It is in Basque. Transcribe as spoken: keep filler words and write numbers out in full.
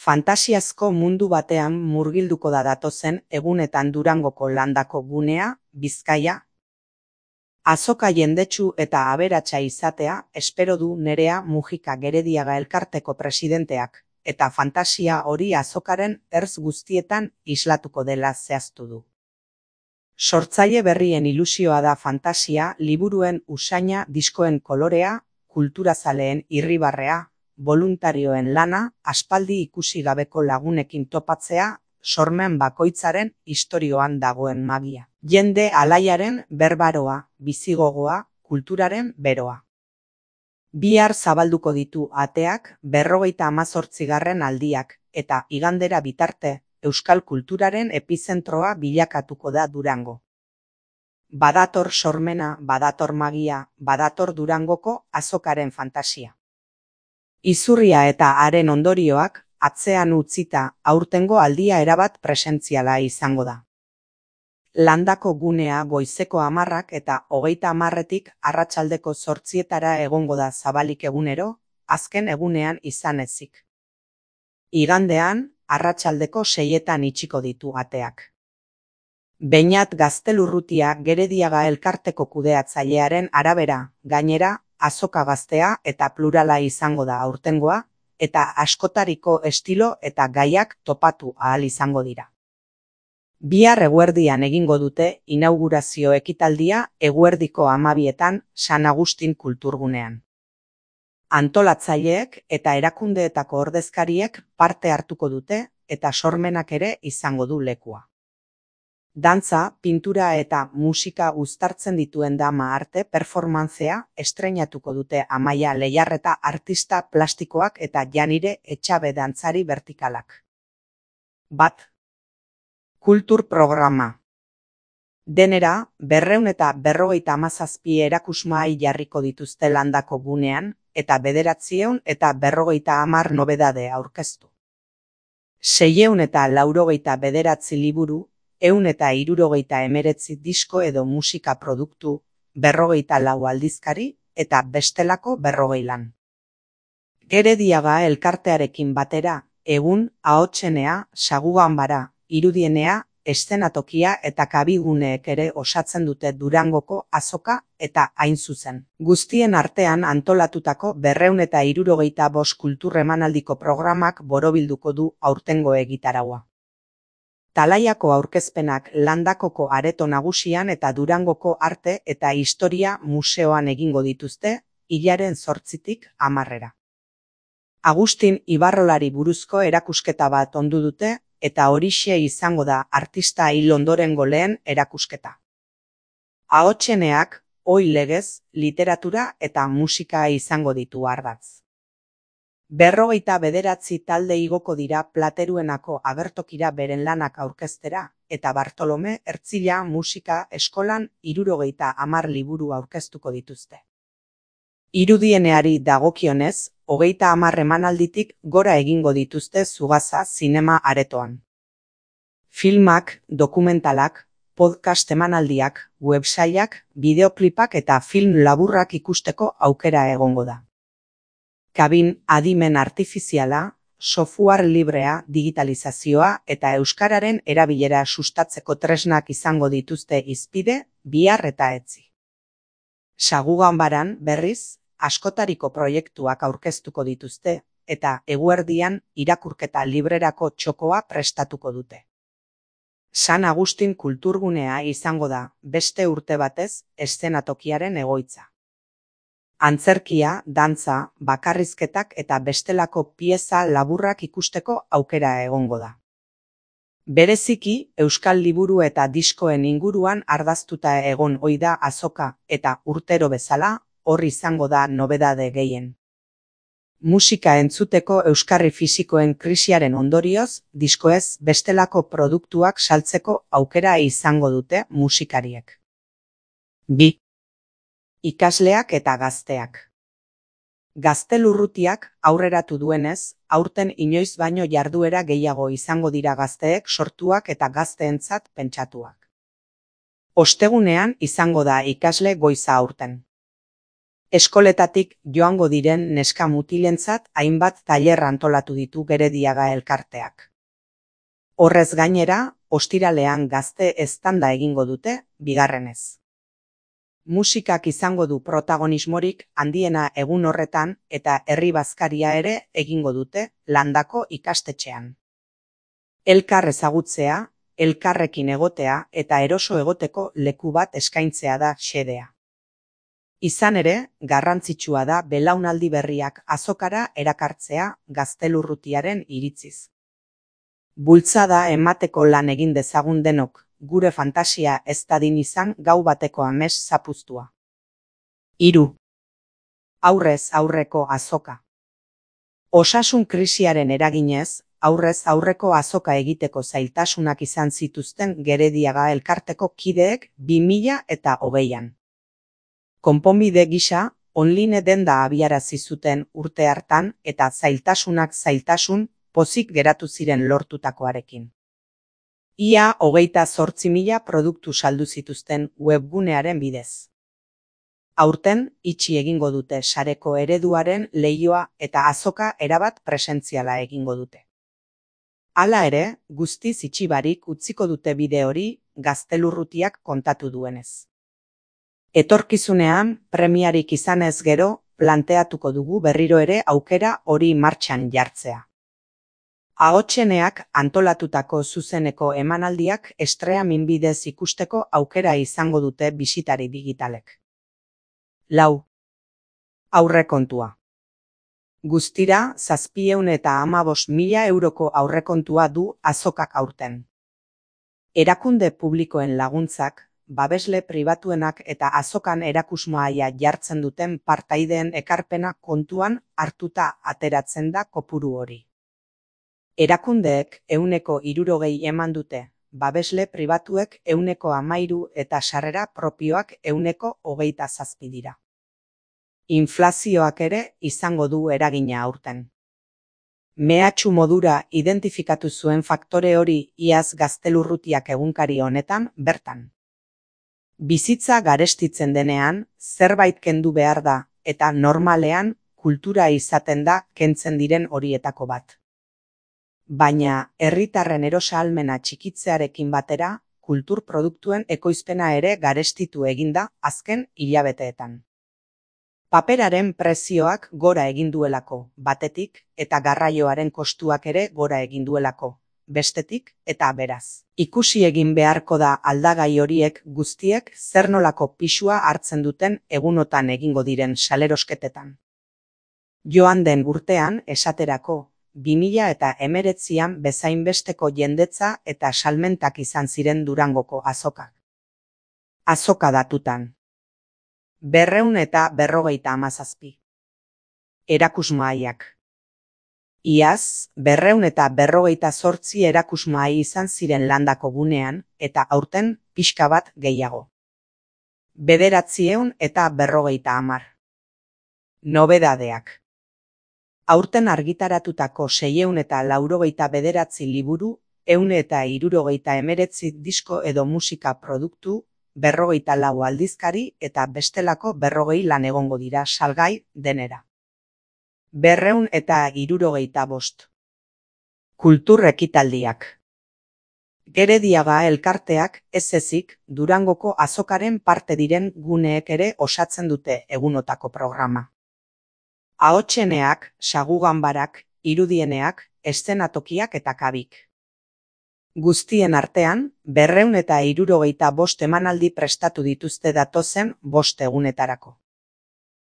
Fantasiazko mundu batean murgilduko da datozen egunetan Durangoko landako gunea, Bizkaia. Azoka jendetsu eta aberatsa izatea espero du Nerea Mujika Gerediaga elkarteko presidenteak, eta fantasia hori azokaren ertz guztietan islatuko dela zehaztu du. Sortzaile berrien ilusioa da fantasia, liburuen usaina, diskoen kolorea, kulturazaleen irribarrea, boluntarioen lana, aspaldi ikusi gabeko lagunekin topatzea, sormen bakoitzaren istorioan dagoen magia. Jende alaiaren berbaroa, bizigogoa, kulturaren beroa. Bihar zabalduko ditu ateak berrogeita hamazortzigarren aldiak, eta igandera bitarte, euskal kulturaren epizentroa bilakatuko da Durango. Badator sormena, badator magia, badator Durangoko azokaren fantasia. Izurria eta haren ondorioak atzean utzita aurtengo aldia erabat presentziala izango da. Landako gunea goizeko hamarrak eta hogeita hamarretik arratsaldeko zortzietara egongo da zabalik egunero, azken egunean izan ezik. Igandean, arratsaldeko seietan itxiko ditu ateak. Beñat Gaztelurrutia Gerediaga elkarteko kudeatzailearen arabera, gainera, azoka gaztea eta plurala izango da aurtengoa, eta askotariko estilo eta gaiak topatu ahal izango dira. Bihar eguerdian egingo dute inaugurazio ekitaldia eguerdiko hamabietan San Agustin kulturgunean. Antolatzaileek eta erakundeetako ordezkariek parte hartuko dute eta sormenak ere izango du lekua. Dantza, pintura eta musika uztartzen dituen dama arte performantzea estreinatuko dute Amaia Leiarreta artista plastikoak eta Janire Etxabe dantzari vertikalak. Bat. Kultur programa. Denera, berrehun eta berrogeita hamazazpi erakusmahai jarriko dituzte landako gunean, eta bederatziehun eta berrogeita hamar nobedade aurkeztu. Seiehun eta laurogeita bederatzi liburu, ehun eta hirurogeita hemeretzi disko edo musika produktu, berrogeita lau aldizkari eta bestelako berrogei lan. Gerediaga elkartearekin batera, egun, ahotsenea, saguganbara, irudienea, eszenatokia eta kabiguneek ere osatzen dute Durangoko azoka eta hain zuzen. Guztien artean antolatutako berrehun eta hirurogeita bost kultur emanaldiko programak borobilduko du aurtengo egitaraua. Talaiako aurkezpenak Landakoko areto nagusian eta Durangoko arte eta historia museoan egingo dituzte, hilaren zortzitik hamarrera. Agustin Ibarrolari buruzko erakusketa bat ondu dute, eta horixe izango da artista hil ondorengo lehen erakusketa. Ahotseneak, ohi legez, literatura eta musika izango ditu ardatz. Berrogeita bederatzi talde igoko dira Plateruenako agertokira beren lanak aurkeztera, eta Bartolome Ertzila musika eskolan hirurogeita hamar liburu aurkeztuko dituzte. Irudieneari dagokionez, hogeita hamar emanalditik gora egingo dituzte Zugaza zinema aretoan. Filmak, dokumentalak, podcast emanaldiak, websaiak, bideoklipak eta film laburrak ikusteko aukera egongo da. Kabin adimen artifiziala, software librea, digitalizazioa eta euskararen erabilera sustatzeko tresnak izango dituzte hizpide, bihar eta etzi. Saguganbaran, berriz, askotariko proiektuak aurkeztuko dituzte, eta eguerdian irakurketa librerako txokoa prestatuko dute. San Agustin kulturgunea izango da, beste urte batez, eszenatokiaren egoitza. Antzerkia, dantza, bakarrizketak eta bestelako pieza laburrak ikusteko aukera egongo da. Bereziki, euskal liburu eta diskoen inguruan ardaztuta egon ohi da azoka eta urtero bezala, hor izango da nobedade gehien. Musika entzuteko euskarri fisikoen krisiaren ondorioz, diskoez bestelako produktuak saltzeko aukera izango dute musikariek. Bi. Ikasleak eta gazteak. Gaztelurrutiak aurreratu duenez, aurten inoiz baino jarduera gehiago izango dira gazteek sortuak eta gazteentzat pentsatuak. Ostegunean izango da ikasle goiza aurten. Eskoletatik joango diren neska mutilentzat hainbat tailer antolatu ditu Gerediaga elkarteak. Horrez gainera, ostiralean gazte eztanda egingo dute, bigarrenez. Musikak izango du protagonismorik handiena egun horretan eta herri bazkaria ere egingo dute Landako ikastetxean. Elkar ezagutzea, elkarrekin egotea eta eroso egoteko leku bat eskaintzea da xedea. Izan ere, garrantzitsua da belaunaldi berriak azokara erakartzea Gaztelurrutiaren iritziz. Bultzada emateko lan egin dezagun denok, gure fantasia ez dadin izan gau bateko amets zapuztua. Hiru. Aurrez aurreko azoka. Osasun krisiaren eraginez, aurrez aurreko azoka egiteko zailtasunak izan zituzten Gerediaga elkarteko kideek bi mila eta hogeian. Konponbide gisa, online denda abiarazi zuten urte hartan eta zailtasunak zailtasun pozik geratu ziren lortutakoarekin. Ia hogeita zortzi mila produktu saldu zituzten webgunearen bidez. Aurten, itxi egingo dute sareko ereduaren leihoa eta azoka erabat presentziala egingo dute. Hala ere, guztiz itxi barik utziko dute bide hori Gaztelurrutiak kontatu duenez. Etorkizunean, premiarik izanez gero, planteatuko dugu berriro ere aukera hori martxan jartzea. Ahotseneak antolatutako zuzeneko emanaldiak streaming bidez ikusteko aukera izango dute bisitari digitalek. Lau. Aurrekontua. Guztira, zazpiehun eta hamabost mila euroko aurrekontua du azokak aurten. Erakunde publikoen laguntzak, babesle pribatuenak eta azokan erakusmahaia jartzen duten partaideen ekarpena kontuan hartuta ateratzen da kopuru hori. Erakundeek ehuneko hirurogei eman dute, babesle pribatuek ehuneko hamairu eta sarrera propioak ehuneko hogeita zazpi dira. Inflazioak ere izango du eragina aurten. Mehatxu modura identifikatu zuen faktore hori iaz Gaztelurrutiak egunkari honetan bertan. Bizitza garestitzen denean, zerbait kendu behar da eta normalean kultura izaten da kentzen diren horietako bat. Baina, herritarren erosahalmena txikitzearekin batera, kultur produktuen ekoizpena ere garestitu eginda azken hilabeteetan. Paperaren prezioak gora egin duelako, batetik, eta garraioaren kostuak ere gora egin duelako, bestetik, eta beraz. Ikusi egin beharko da aldagai horiek guztiek zer nolako pisua hartzen duten egunotan egingo diren salerosketetan. Joan den urtean, esaterako, bi mila eta hemeretzian bezainbesteko jendetza eta salmentak izan ziren Durangoko azokak. Azoka datutan. Berreun eta berrogeita hamazazpi. Erakusmahaiak. Iaz, berreun eta berrogeita zortzi erakusmahai izan ziren Landako gunean eta aurten pixka bat gehiago. Bederatzieun eta berrogeita hamar. Nobedadeak. Aurten argitaratutako seiehun eta laurogeita bederatzi liburu, ehun eta hirurogeita hemeretzi disko edo musika produktu, berrogeita lau aldizkari eta bestelako berrogei lan egongo dira salgai denera. Berreun eta hirurogeita bost. Kultur ekitaldiak. Gerediaga elkarteak ez ezik Durangoko azokaren parte diren guneek ere osatzen dute egunotako programa. Ahotseneak, sagu-ganbarak, irudieneak, eszenatokiak eta kabik. Guztien artean, berreun eta hirurogeita bost emanaldi prestatu dituzte datozen bost egunetarako.